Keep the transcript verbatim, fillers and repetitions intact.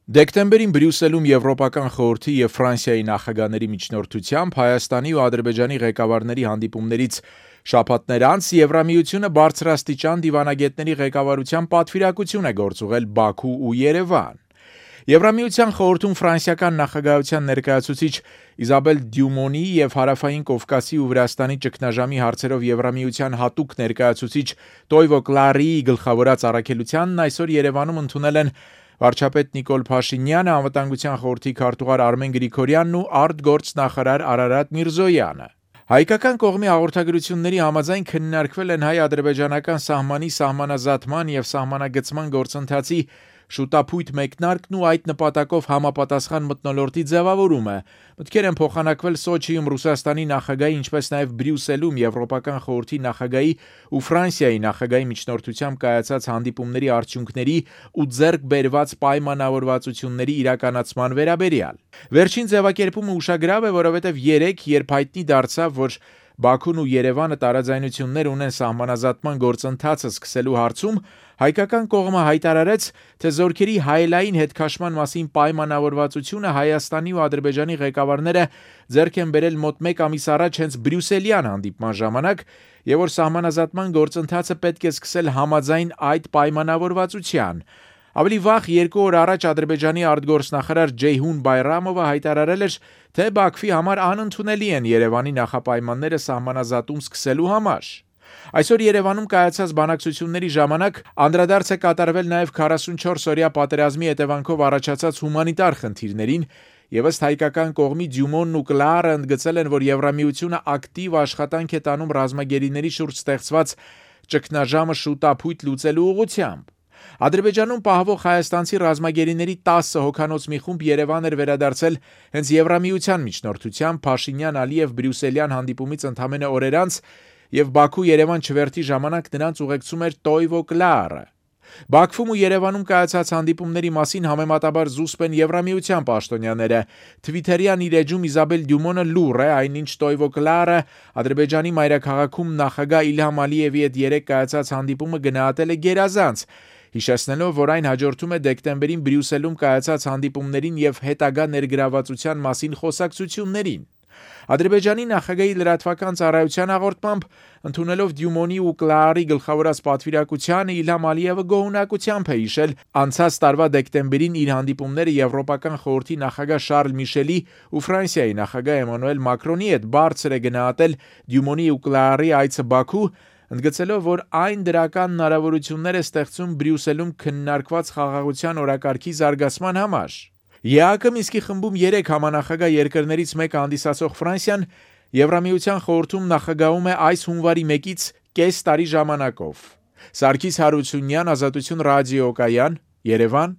Դեկտեմբերին Բրյուսելում Եվրոպական խորհրդի և Ֆրանսիայի նախագահների միջնորդությամբ Հայաստանի ու Ադրբեջանի ղեկավարների հանդիպումներից շաբաթներ անց Եվրամիությունը բարձրաստիճան դիվանագետների ղեկավարությամբ պատվիրակություն է գործուղել Բաքու ու Երևան։ Եվրամիության խորհրդում ֆրանսիական նախագահության ներկայացուցիչ Իզաբել Դյումոնի և Հարավային Կովկասի ու Վրաստանի ճգնաժամի հարցերով Եվրամիության հատուկ ներկայացուցիչ Տոյվո Կլարիի գլխավորած առաքելությանն այսօր Երևանում ընդունել են վարչապետ Նիկոլ Փաշինյանը, Անվտանգության խորհրդի քարտուղար Արմեն Գրիգորյանն ու արտգործնախարար Արարատ Միրզոյանը։ Հայկական կողմի հաղորդագրությունների համաձայն քննարկվել են հայ-ադրբեջանական սահմանի սահմանազատման և սահմանագծման գործընթացի շուտափույթ մեկնարկն ու այդ նպատակով համապատասխան մթնոլորտի ձևավորումը։ Մտքեր են փոխանակվել Սոչիում Ռուսաստանի նախագահի, ինչպես նաև Բրյուսելում Եվրոպական խորհրդի նախագահի ու Ֆրանսիայի նախագահի միջնորդությամբ կայացած հանդիպումների արդյունքների ու ձեռք բերված պայմանավորվածությունների իրականացման վերաբերյալ։ Վերջին ձևակերպումը ուշագրավ է, որովհետև երեկ, երբ հայտնի դարձավ, որ Բաքուն ու Երևանը տարաձայնություններ ունեն սահմանազատման գործընթացը սկսելու հարցում, հայկական կողմը հայտարարեց, թե զորքերի հայելային հետքաշման մասին պայմանավորվածությունը Հայաստանի ու Ադրբեջանի ղեկավարները ձեռք են բերել մոտ մեկ ամիս առաջ հենց Բրյուսելյան հանդիպման ժամանակ, և որ սահմանազատման գործընթացը պետք է սկսել համաձայն այդ պայմանավորվածության։ Ավելի վաղ երկու օր առաջ Ադրբեջանի արտգործնախարար Ջեյհուն Բայրամովը հայտարարել էր, թե Բաքվի համար անընդունելի են Երևանի նախապայմանները սահմանազատում սկսելու համար։ Այսօր Երևանում կայացած բանակցությունների ժամանակ անդրադարձ է կատարվել նաև քառասունչորս օրյա պատերազմի հետևանքով առաջացած հումանիտար խնդիրներին, և ըստ հայկական կողմի Դյումոնն ու Կլարը ընդգծել են, որ Եվրամիությունը ակտիվ աշխատանք է տանում ռազմագերիների շուրջ ստեղծված ճգնաժամը շուտափույթ լուծելու ուղղությամբ։ Ադրբեջանում պահվող հայաստանցի ռազմագերիների տասը հոգանոց մի խումբ Երևան էր վերադարձել հենց Եվրամիության միջնորդությամբ Փաշինյան-Ալիև Բրյուսելյան հանդիպումից ընդամենը օրեր անց, և Բաքու-Երևան չվերթի ժամանակ նրանց ուղեկցում էր Տոյվո Կլարը։ Բաքվում ու Երևանում կայացած հանդիպումների մասին համեմատաբար զուսպ են Եվրամիության պաշտոնյաները։ Թվիթերյան իր էջում Իզաբել Դյումոնը լուռ է, այնինչ Տոյվո Կլարը Ադրբեջանի մայրաքաղաքում նախագահ Իլհամ Ալիևի հետ երեկ կայացած հանդիպումը գնահատել է գերազանց, հիշեցնելով, որ այն հաջորդում է դեկտեմբերին Բրյուսելում կայացած հանդիպումներին և հետագա ներգրավվածության մասին խոսակցություններին։ Ադրբեջանի նախագահի լրատվական ծառայության հաղորդմամբ, ընդունելով Դյումոնի ու Կլարի գլխավորած պատվիրակությանը, Իլհամ Ալիևը գոհունակությամբ է հիշել անցած տարվա դեկտեմբերին իր հանդիպումները Եվրոպական խորհրդի նախագահ Շարլ Միշելի ու Ֆրանսիայի նախագահ Էմանուել Մակրոնի հետ, բարձր է գնահատել Դյումոնի ու Կլարի այցը Բաքու, ընդգծելով, որ այն դրական հնարավորություններ է ստեղծում Բրյուսելում քննարկված խաղաղության օրակարգի զարգացման համար։ ԵԱՀԿ Մինսկի խմբում երեք համանախագահ երկրներից մեկը հանդիսացող Ֆրանսիան Եվրամիության խորհրդում նախագահում է այս հունվարի մեկից կես տարի ժամանակով։ Սարգիս Հարությունյան, Ազատություն ռադիոկայան, Երևան։